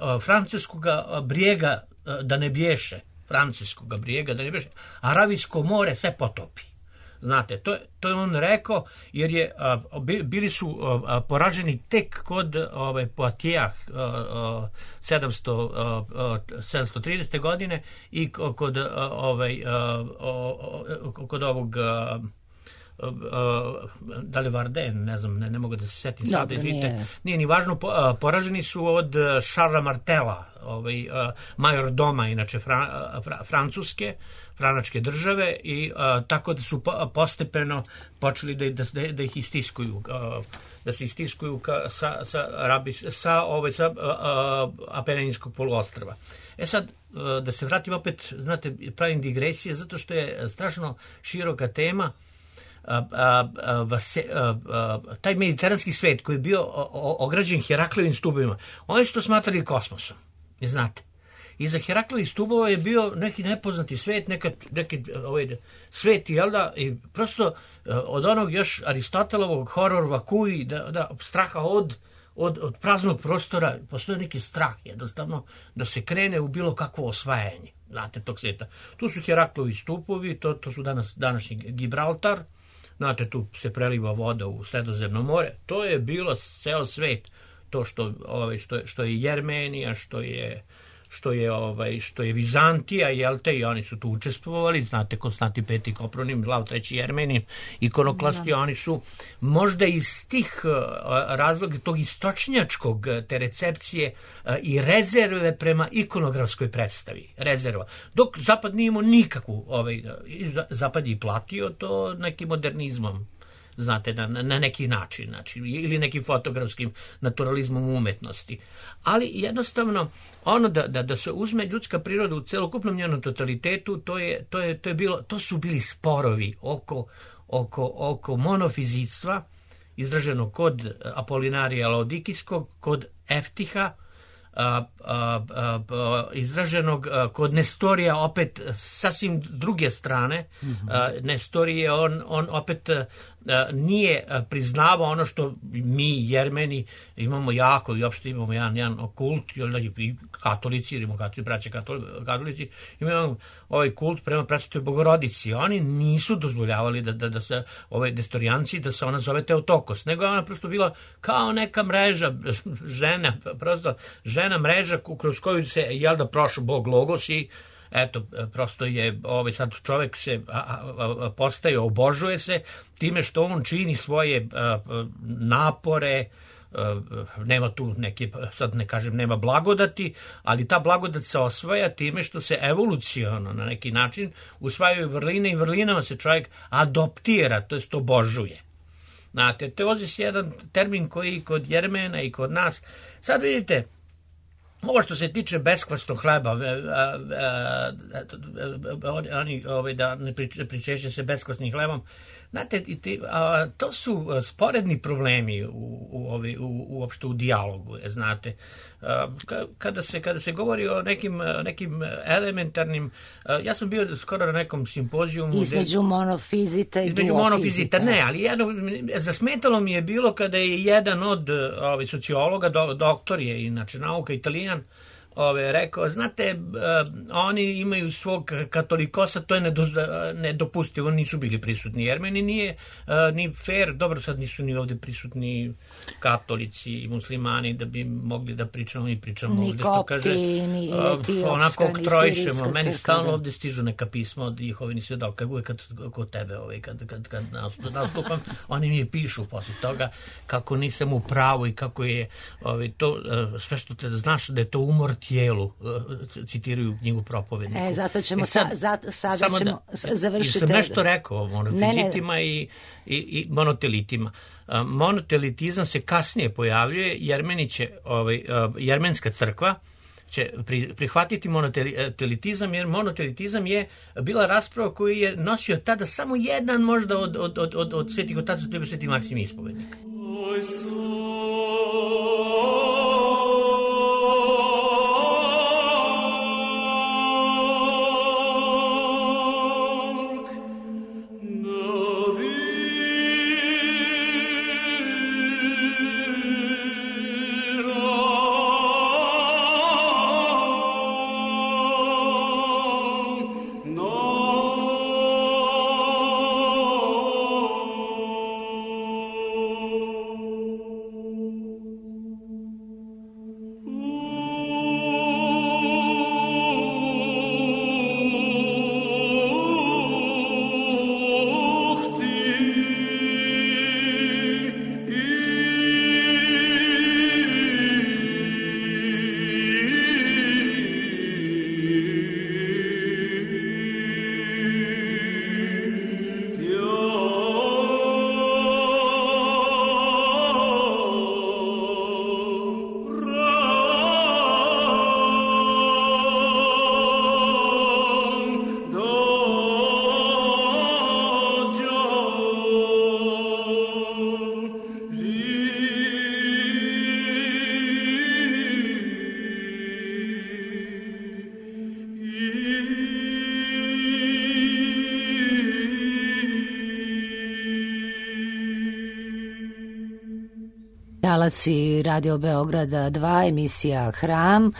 a, francuskog brijega a, da ne bješe, francuskog brijega, da ne beše, Aravijsko more se potopi. Znate, to, to je on rekao, jer je, a, bili su a, poraženi tek kod ove, Poitiers sedamsto tridesete godine i kod, a, ovaj, a, a, kod ovog... A, Uh, da li Varden, ne znam, ne, ne mogu da se setim sada, izvite, nije. nije ni važno, po, uh, poraženi su od Charlesa Martela, ovaj, uh, major doma, inače fra, fra, francuske, franačke države, i uh, tako da su po, postepeno počeli da, da, da ih istiskuju, uh, da se istiskuju ka, sa, sa, Arabi, sa, ovaj, sa uh, uh, Apeninskog poluostrva. E sad, uh, da se vratim opet, znate, pravim digresije, zato što je strašno široka tema. A, a, a, se, a, a, taj mediteranski svet koji je bio o, o, ograđen Heraklijevim stubovima, oni su to smatrali kosmosom, ne znate. Iza Heraklijevih stubova je bio neki nepoznati svet, neka, neki ovaj, svet, jel da, i prosto od onog još Aristotelovog horor vakui, da, da, straha od, od, od praznog prostora, postoji neki strah, jednostavno, da se krene u bilo kakvo osvajanje, znate, tog sveta. Tu su Heraklijevi stupovi, to, to su danas, današnji Gibraltar. Znate, tu se preliva voda u Sredozemno more. To je bilo ceo svet. To što, ovaj, što, što je Jermenija, što je, što je, ovaj, što je Vizantija, jel te, i oni su tu učestvovali. Znate, Konstantin Peti Kopronim, Lav treći Jermenin, ikonoklasti, da. Oni su možda iz tih razloga, tog istočnjačkog, te recepcije i rezerve prema ikonografskoj predstavi. Rezerva. Dok Zapad nije imao nikakvu, ovaj, Zapad je platio to nekim modernizmom. Znate, na, na neki način, znači, ili nekim fotografskim naturalizmom umetnosti. Ali jednostavno, ono da, da, da se uzme ljudska priroda u celokupnom njenom totalitetu, to, je, to, je, to, je bilo, to su bili sporovi oko, oko, oko monofizitstva, izraženo kod Apolinarija Laodikijskog, kod Eftiha, A, a, a, izraženog a, kod Nestorija opet sasvim druge strane. Mm-hmm. a, Nestorije on, on opet a, nije priznavao ono što mi Jermeni imamo jako, i opšte imamo jedan, jedan kult, i katolici, ili katolici, braće katolici, imamo ovaj kult prema Presvetoj Bogorodici. Oni nisu dozvoljavali da, da, da se ove nestorijanci, da se ona zove Teotokos, nego ona prosto bila kao neka mreža žena, prosto žena mreža kroz koju se, jel da, prošao Bog Logos i eto, prosto je, ovaj, sad čovek se a, a, a, postaje, obožuje se time što on čini svoje a, napore, nema tu neke, sad ne kažem nema blagodati, ali ta blagodat se osvaja time što se evoluciono na neki način usvajaju vrline i vrlinama se čovjek adoptira, to jest obožuje. Znate, teozis je jedan termin koji kod Jermena i kod nas, sad vidite, ovo što se tiče beskvasnog hleba, oni ovaj, da ne pričešće se beskvasnim hlebom, znate, to su sporedni problemi u, u, u, uopšte u dijalogu, znate. Kada se, kada se govori o nekim, nekim elementarnim, ja sam bio skoro na nekom simpozijumu. Između gde, monofizita i između monofizita, ne, ali jedno, zasmetalo mi je bilo kada je jedan od ovaj, sociologa, do, doktor je inače nauka, Italijan, Ove, rekao, znate, uh, oni imaju svog katolikosa, to je nedo, nedopustivo, nisu bili prisutni Jermeni, nije uh, ni fair, dobro sad nisu ni ovde prisutni katolici i muslimani da bi mogli da pričamo i pričamo ni ovde, kopti, što kaže, ni etiopska, onako ni oktrojišemo, meni crkva. stalno ovde stižu neka pisma od Jehovini svedoka, uvek kad, kod tebe, ovaj, kad, kad, kad nastupam, oni mi pišu posle toga kako nisam u pravu i kako je ovaj, to, uh, sve što te znaš da je to umor tijelu, citiraju knjigu Propovedniku. E, zato ćemo, sad, sa, za, sada ćemo da, završiti. Sam nešto rekao o monofizitima ne, ne. I, i, i monotelitima. Monotelitizam se kasnije pojavljuje, Jermeni će, ovaj, jermenska crkva će pri, prihvatiti monotelitizam, jer monotelitizam je bila rasprava koju je nosio tada samo jedan možda od, od, od, od, od svetih otaca, to je sveti Maksim Ispovednik. Talaci Radio Beograda dva, emisija Hram.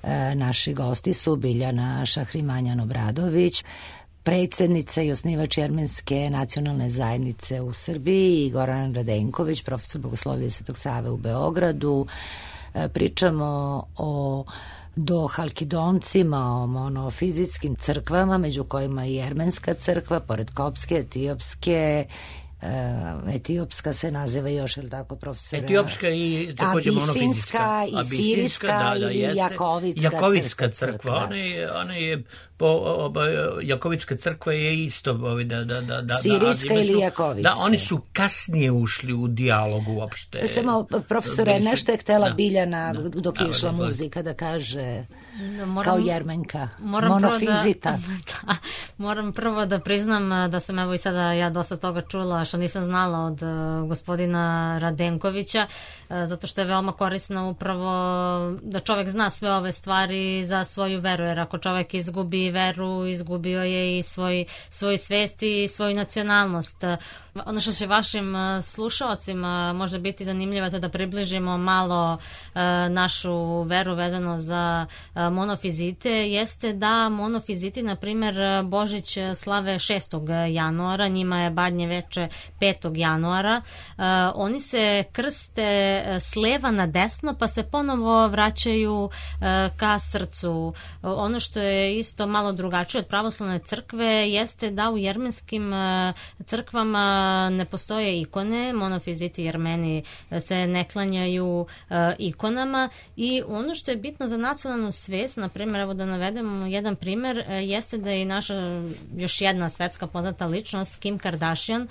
E, naši gosti su Biljana Šahrimanjan-Obradović, predsjednica i osnivač Jermenske nacionalne zajednice u Srbiji, i Goran Radenković, profesor Bogoslovije Svetog Save u Beogradu. E, pričamo o do Halkidoncima, o monofizitskim crkvama, među kojima i Jermenska crkva, pored kopske, etiopske. Uh, etiopska se naziva još, je li tako, profesora? Etiopska i također monofizitska. I sirijska, da, da, i Jakovitska, Jakovitska crkva. crkva. Ona je, ona je po, oba, Jakovitska crkva je isto. Ovi, da, da, da, da, sirijska da, ili su, Jakovitska? Da, oni su kasnije ušli u dijalog uopšte. Samo, profesore, su, nešto je htela da, Biljana da, dok je išla da, muzika da kaže da, moram, kao Jermenka, moram monofizita. Prvo da, da, moram prvo da priznam da sam evo i sada ja dosta toga čula što nisam znala od uh, gospodina Radenkovića, uh, zato što je veoma korisno upravo da čovjek zna sve ove stvari za svoju veru, jer ako čovjek izgubi veru, izgubio je i svoj, svoju svest i svoju nacionalnost. Uh, ono što će vašim uh, slušalcima možda biti zanimljivo je da približimo malo uh, našu veru vezano za uh, monofizite, jeste da monofiziti, na primjer, Božić slave šestog januara, njima je Badnje veče petog januara. Oni se krste s leva na desno, pa se ponovo vraćaju ka srcu. Ono što je isto malo drugačije od pravoslavne crkve jeste da u jermenskim crkvama ne postoje ikone, monofiziti Jermeni se ne klanjaju ikonama i ono što je bitno za nacionalnu svest, na primjer, evo da navedemo jedan primjer, jeste da je naša još jedna svetska poznata ličnost, Kim Kardashian,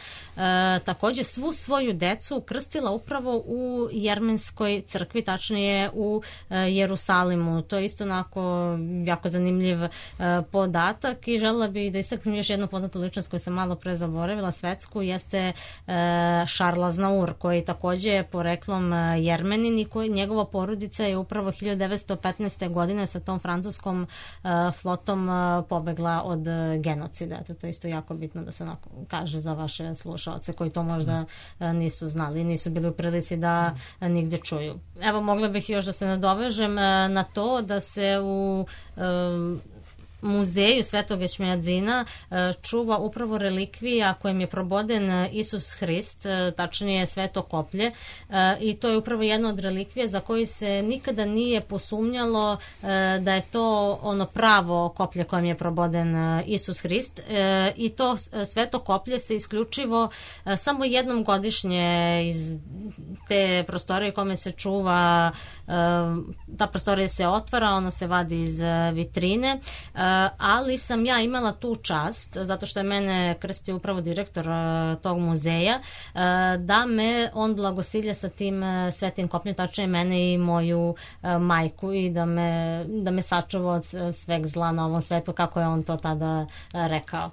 takođe svu svoju decu krstila upravo u jermenskoj crkvi, tačnije u Jerusalimu. To je isto onako jako zanimljiv podatak i želela bih da istaknem još jednu poznatu ličnost koju sam malo pre zaboravila, svetsku, jeste Charles Aznavour, koji takođe je poreklom Jermenin i koji, njegova porodica je upravo hiljadu devetsto petnaeste. godine sa tom francuskom flotom pobegla od genocida. Eto, to je isto jako bitno da se onako kaže za vaše slušaoce koji to možda nisu znali, nisu bili u prilici da nigde čuju. Evo, mogla bih još da se nadovežem na to da se u muzeju Svetog Ečmiadzina čuva upravo relikvija kojim je proboden Isus Hrist, tačnije sveto koplje, i to je upravo jedna od relikvija za koju se nikada nije posumnjalo da je to ono pravo koplje kojim je proboden Isus Hrist, i to sveto koplje se isključivo samo jednom godišnje iz te prostorije kome se čuva, ta prostorija se otvara, ona se vadi iz vitrine, ali sam ja imala tu čast, zato što je mene krstio upravo direktor tog muzeja, da me on blagosilja sa tim svetim kopljem, tačnije mene i moju majku, i da me, da me sačuva od sveg zla na ovom svetu, kako je on to tada rekao.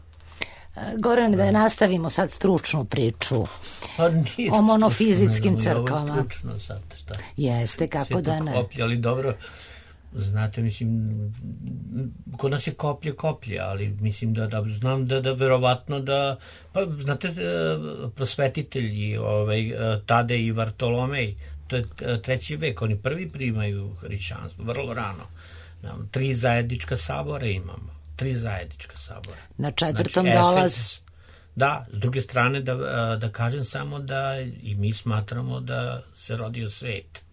Goran, da nastavimo sad stručnu priču o monofizitskim crkvama. Ovo stručno sad, šta? Jeste, kako da ne. Koplje, ali dobro, znate, mislim, kod nas je koplje koplje, ali mislim da, da znam da, da verovatno da, pa znate, prosvetitelji, ovaj, Tadej i Vartolomej, to je treći vek, oni prvi primaju hrišćanstvo, vrlo rano. Tri zajednička sabora imamo. Tri zajednička sabora. Na četvrtom znači, dolaz... Efes, da, s druge strane da, da kažem samo da i mi smatramo da se rodio svet,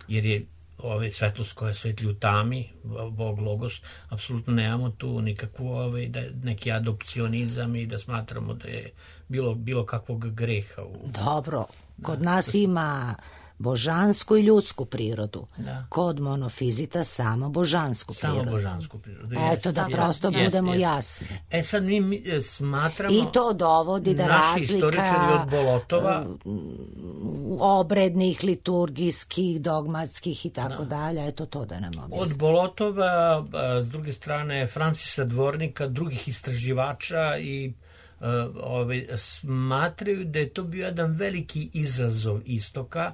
jer je ove svetlost koja svetlji u tami, Bog Logos, apsolutno nemamo tu nikakvu ove, da, neki adopcionizam i da smatramo da je bilo, bilo kakvog greha. U... Dobro, kod da, nas ima božansku i ljudsku prirodu. Da. Kod monofizita samo božansku prirodu. Samo božansku prirodu. Eto, da prosto jest, budemo jest. jasni. E sad mi, mi smatramo... I to dovodi da naši razlika... istoričari od Bolotova... obrednih, liturgijskih, dogmatskih i tako da. dalje. Eto to da nam objasni. Od Bolotova, s druge strane, Francisa Dvornika, drugih istraživača i ove, smatraju da je to bio jedan veliki izazov istoka,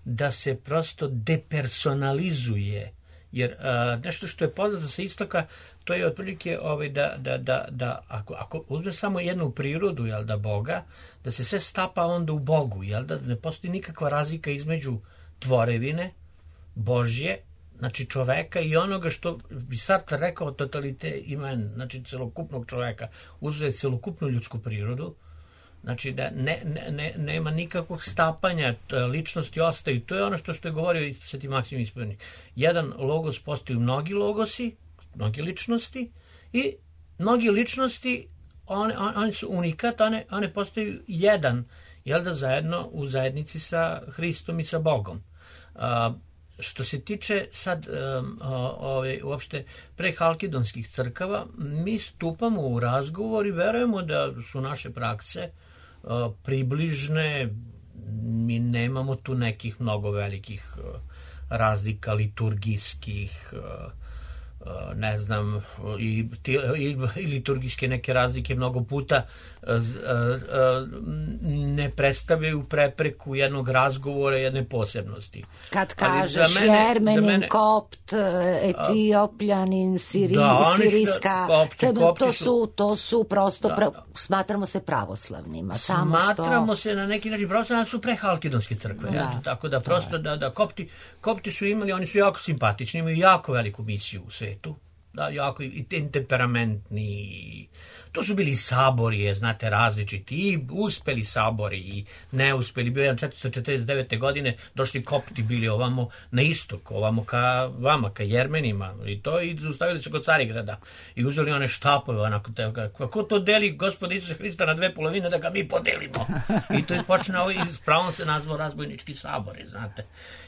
da se prosto depersonalizuje, jer a, nešto što je poznato sa istoka, to je otprilike ovaj, da, da, da, da ako, ako uzme samo jednu prirodu, jel da, Boga, da se sve stapa onda u Bogu, jel da, ne postoji nikakva razlika između tvorevine Božje, znači čoveka, i onoga što bi Sartre rekao totalite imen, znači celokupnog čoveka, uzuje celokupnu ljudsku prirodu. Znači da ne, ne, ne, nema nikakvog stapanja, ličnosti ostaju. To je ono što, što je govorio i Sveti Maksim Ispovjednik. Jedan logos postaju mnogi logosi, mnogi ličnosti, i mnogi ličnosti, one, on, one su unikat, one, one postaju jedan, jel da, zajedno u zajednici sa Hristom i sa Bogom. A, što se tiče sad um, ove, uopšte prehalkidonskih crkava, mi stupamo u razgovor i verujemo da su naše prakse približne, mi nemamo tu nekih mnogo velikih razlika liturgijskih, ne znam, i, i, i liturgijske neke razlike mnogo puta ne predstavljaju prepreku jednog razgovora, jedne posebnosti. Kad kažeš mene, Jermenin, mene, Kopt, Etiopljanin, Siri, da, Sirijska, kopti, kopti to, su, su, to su prosto, da, pra, smatramo se pravoslavnima. Samo smatramo što... se na neki način pravoslavni, ali su prehalkidonske crkve. Da, ja, tako da prosto da, da kopti, kopti su imali, oni su jako simpatični, imaju jako veliku misiju u svetu. da, jako i temperamentni. To su bili sabori, znate, različiti, i uspeli sabori i neuspeli. Bio je četiristo četrdeset devete. godine, došli kopti bili ovamo na istok, ovamo ka vama, ka Jermenima, i to, i ustavili se kod Carigrada i uzeli one štapove, onako, kako to deli Gospod Isus Hrista na dve polovine, da ga mi podelimo. I to je počinao, i s pravom se nazvao razbojnički sabori, znate.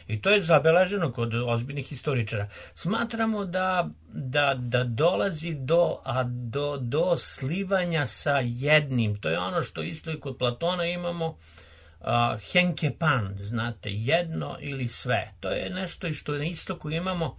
I to je zabeleženo kod ozbiljnih historičara. Smatramo da, da, da dolazi do, a do, do slivanja sa jednim. To je ono što isto i kod Platona imamo, uh, henkepan, znate, jedno ili sve. To je nešto i što na istoku imamo,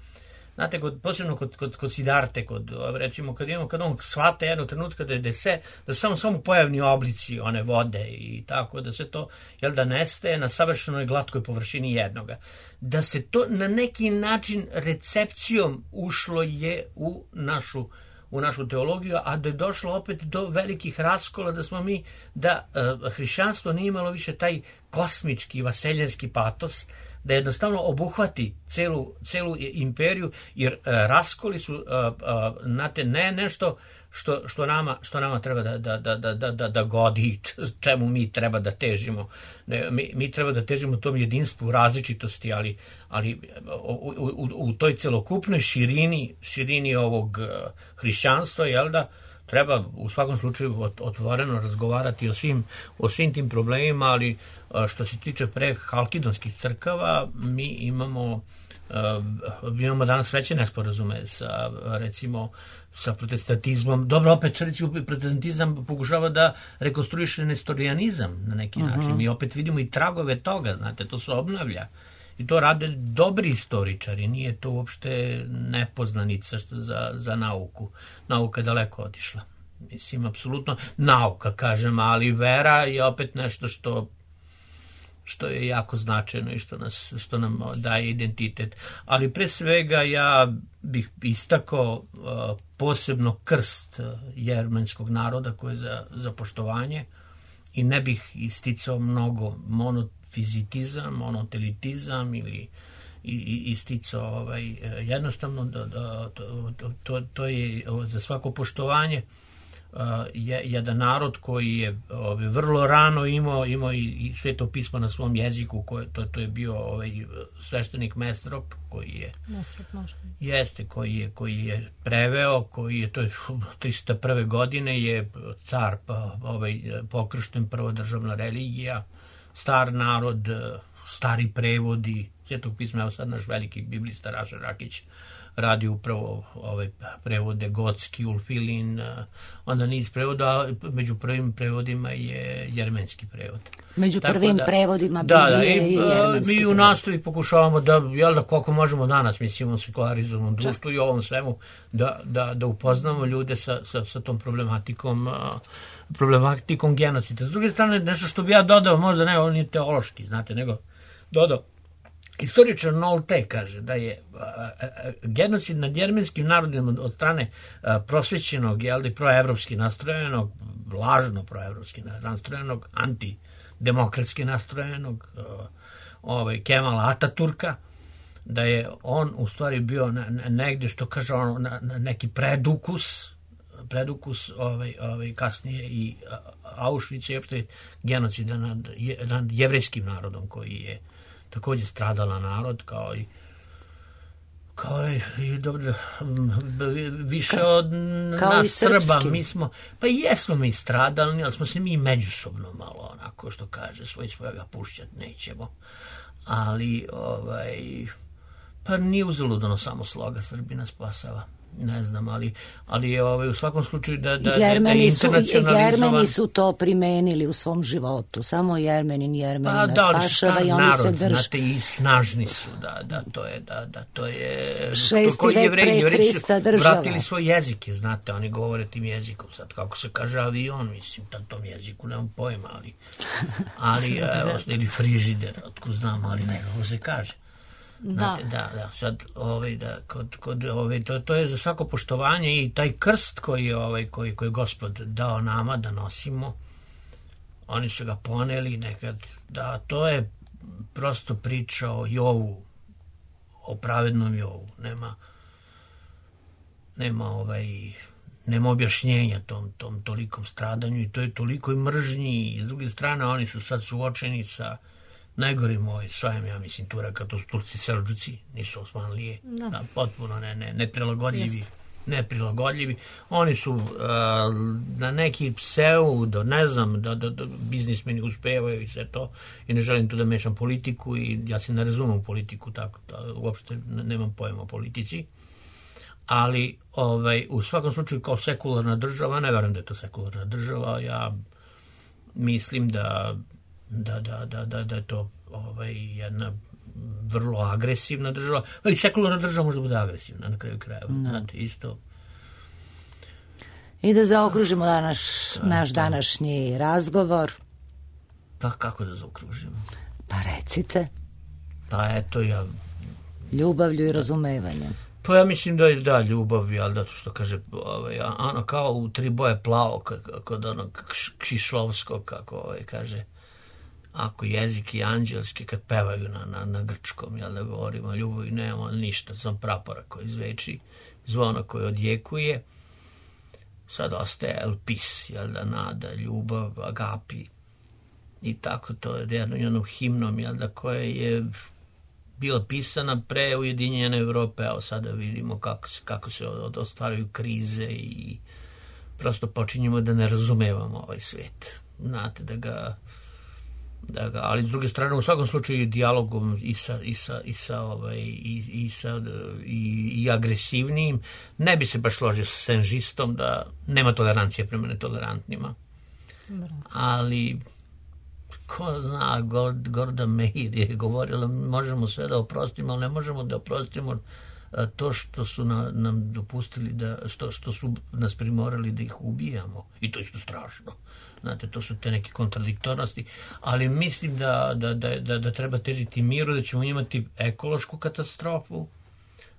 znate, kod, posebno kod, kod, kod Sidarte, kod, recimo, kad imamo, kad on shvate jednog trenutka da je da se, da su samo, samo pojavni oblici one vode i tako, da se to, jel da nestaje na savršenoj glatkoj površini jednoga. Da se to na neki način recepcijom ušlo je u našu u našu teologiju, a da je došlo opet do velikih raskola, da smo mi, da uh, hrišćanstvo nije imalo više taj kosmički, vaseljenski patos, da jednostavno obuhvati celu, celu imperiju, jer uh, raskoli su, uh, uh, znate, ne nešto što, što, nama, što nama treba da, da, da, da, da, da godi, čemu mi treba da težimo. Ne, mi, mi treba da težimo tom jedinstvu, različitosti, ali, ali u, u, u toj celokupnoj širini, širini ovog uh, hrišćanstva, jel da, treba u svakom slučaju otvoreno razgovarati o svim, o svim tim problemima, ali što se tiče pre halkidonskih crkava, mi imamo, mi imamo danas veće nesporazume sa, recimo, sa protestantizmom. Dobro, opet, recimo, protestantizam pokušava da rekonstruiše nestorijanizam na neki način. Uh-huh. Mi opet vidimo i tragove toga, znate, to se obnavlja. I to rade dobri istoričari, nije to uopšte nepoznanica što za, za nauku. Nauka je daleko otišla. Mislim, apsolutno nauka, kažem, ali vera je opet nešto što, što je jako značajno i što, nas, što nam daje identitet. Ali pre svega ja bih istakao uh, posebno krst jermenskog naroda koji je za, za poštovanje, i ne bih isticao mnogo monot fizitizam, monotelitizam ili isticao ovaj, jednostavno da, da, to, to, to je za svako poštovanje uh, je, jedan narod koji je ovaj, vrlo rano imao, imao i, i Sveto pismo na svom jeziku, koje, to, to je bio ovaj, sveštenik Mestrop koji je Mestrop možda. Jeste, koji je, koji je preveo, koji je, to je tristo prve. godine je car pa, ovaj, pokršten, prvodržavna religija, star narod, stari prevodi Svetog pisma. Evo sad naš veliki biblista Raša Rakić radi upravo ovaj prevode Gotski, Ulfilin, onda niz prevoda, među prvim prevodima je jermenski prevod. Među Tako prvim da, prevodima da, Biblije da, i, i jermenski mi u nastavi pokušavamo da, jel da, koliko možemo danas, mislim, u sekularizovanom društvu i ovom svemu, da, da, da upoznamo ljude sa, sa, sa tom problematikom problematikom genocida. S druge strane, nešto što bi ja dodao, možda ne, on nije teološki, znate, nego dodao, historičar Nolte kaže da je a, a, genocid nad jermenskim narodima od strane a, prosvećenog, jel da, proevropski nastrojenog, lažno proevropski nastrojenog, antidemokratski nastrojenog a, ovaj, Kemala Ataturka, da je on u stvari bio na, na, negdje, što kaže on, na, na neki predukus predukus ovaj, ovaj, kasnije i Auschwitz i opšte genocida nad, nad jevrejskim narodom, koji je također stradala narod, kao i kao i, i dobro, više od kao nas Srba. Mi smo, pa jesmo mi stradalni, ali smo se mi međusobno malo, onako što kaže, svoj svojega pušćat nećemo. Ali, ovaj, pa nije uzaludno samo sloga Srbina spasava. Ne znam, ali, ali je ovaj, u svakom slučaju da, da, Jermeni da je su, internacionalizovan. Jermeni su to primenili u svom životu. Samo Jermenin Jermenina pa, da, spašava i oni narod, se drže. Znate, i snažni su, da, da, to je, da, da, to je... Šesti vek pre Hrista država. Vratili svoj jezik, znate, oni govore tim jezikom. Sad, kako se kaže avion, mislim, na tom jeziku nemam pojma, ali, ali evo, ili frižider, otko znam, ali ne, kako se kaže. Znate, da, da, sad, ovaj, da, kod, kod, ovaj, to, to je za svako poštovanje i taj krst koji je, ovaj, koji, koji je Gospod dao nama da nosimo, oni su ga poneli nekad, da, to je prosto priča o Jovu, o pravednom Jovu, nema, nema ovaj, nema objašnjenja tom, tom tolikom stradanju i to je toliko i mržnji i s druge strane oni su sad suočeni sa najgorim ovaj svojem, ja mislim, Turaka, to su Turci Selđuci, nisu Osmanlije, da. Da, potpuno ne, ne, neprilagodljivi. Jest. neprilagodljivi. Oni su uh, na neki pseudo, ne znam, da, da, da biznismeni uspevaju i sve to i ne želim tu da mešam politiku i ja se ne razumem politiku, tako da uopšte nemam pojma o politici, ali ovaj, u svakom slučaju kao sekularna država, ne verujem da je to sekularna država, ja mislim da da, da, da, da, da je to ovaj, jedna vrlo agresivna država, ali sekularna država može bude agresivna na kraju krajeva. No. Znate, isto. I da zaokružimo današ, naš današnji razgovor. Pa kako da zaokružimo? Pa recite. Pa eto ja... Ljubavlju i razumevanjem. Pa ja mislim da je da ljubav, ali da to što kaže, ovaj, ono kao u Tri boje plavo, kod onog Kšišlovskog, kako ovaj, kaže, ako jezik i anđelski kad pevaju na, na, na grčkom, jel da govorimo o ljubavi, nemamo ništa, sam prapora koji zveči, zvono koje odjekuje, sad ostaje elpis, jel da, nada, ljubav, agapi, i tako to je jedno, jednom himnom, jel da, koje je bila pisana pre Ujedinjene Evrope, a sada vidimo kako se, kako se ostvaruju krize i prosto počinjemo da ne razumevamo ovaj svet. Znate, da ga Da ga, ali s druge strane u svakom slučaju dijalogom i sa i sa i sa ovaj i i sa i, i agresivnim ne bi se baš složio sa senžistom da nema tolerancije prema netolerantnima. Bravo. Ali ko zna, Gorda Meir je govorila možemo sve da oprostimo, ali ne možemo da oprostimo to što su na, nam dopustili da što što su nas primorali da ih ubijamo i to je isto strašno. Znate, to su te neke kontradiktornosti, ali mislim da, da, da, da, da treba težiti miru, da ćemo imati ekološku katastrofu,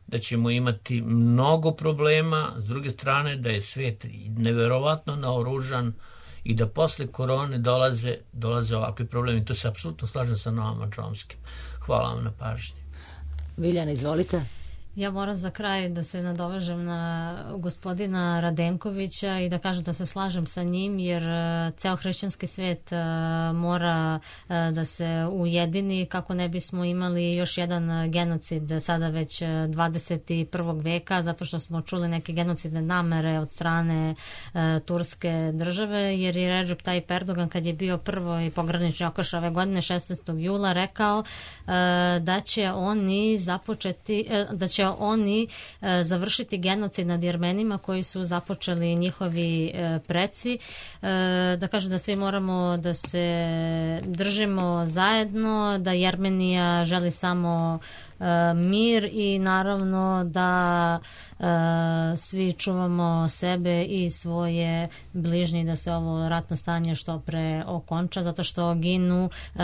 da ćemo imati mnogo problema, s druge strane da je svet neverovatno naoružan i da posle korone dolaze, dolaze ovakvi problemi. To se apsolutno slažem sa Noamom Chomskim. Hvala vam na pažnji. Viljana, izvolite. Ja moram za kraj da se nadovežem na gospodina Radenkovića i da kažem da se slažem sa njim, jer uh, ceo hrišćanski svet uh, mora uh, da se ujedini kako ne bismo imali još jedan genocid sada već dvadeset prvog veka, zato što smo čuli neke genocidne namere od strane uh, turske države, jer je Recep Tayyip Erdogan kad je bio prvo i pogranični okrš ove godine šesnaestog jula rekao uh, da će oni započeti, uh, da će oni e, završiti genocid nad Jermenima koji su započeli njihovi e, preci. E, da kažem da svi moramo da se držimo zajedno, da Jermenija želi samo e, mir i naravno da e, svi čuvamo sebe i svoje bližnje, da se ovo ratno stanje što pre okonča, zato što ginu e,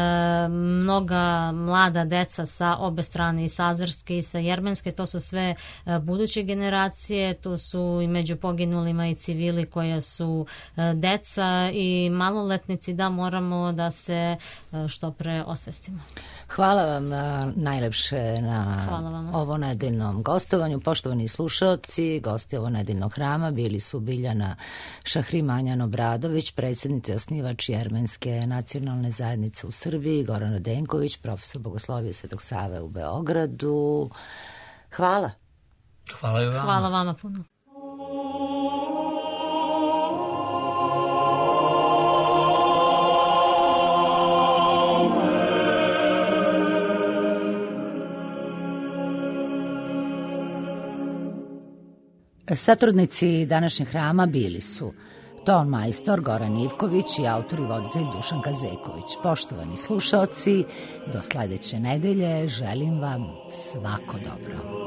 mnoga mlada deca sa obe strane, i sa azerske i sa jermenske. To su sve e, buduće generacije, tu su i među poginulima i civili koja su e, deca i maloletnici, da moramo da se e, što pre osvestimo. Hvala vam a, najlepše na ovo nedeljnom gostovanju. Poštovani slušalci, gosti ovo nedeljnog hrama bili su Biljana Šahrimanjan-Obradović, predsjednica i osnivač Jermenske nacionalne zajednice u Srbiji, Goran Radenković, profesor bogoslovije Svetog Save u Beogradu. Hvala. Hvala vama. Hvala vama puno. Satrudnici današnjeg hrama bili su ton majstor Goran Ivković i autor i voditelj Dušan Kazeković. Poštovani slušaoci, do sledeće nedelje želim vam svako dobro.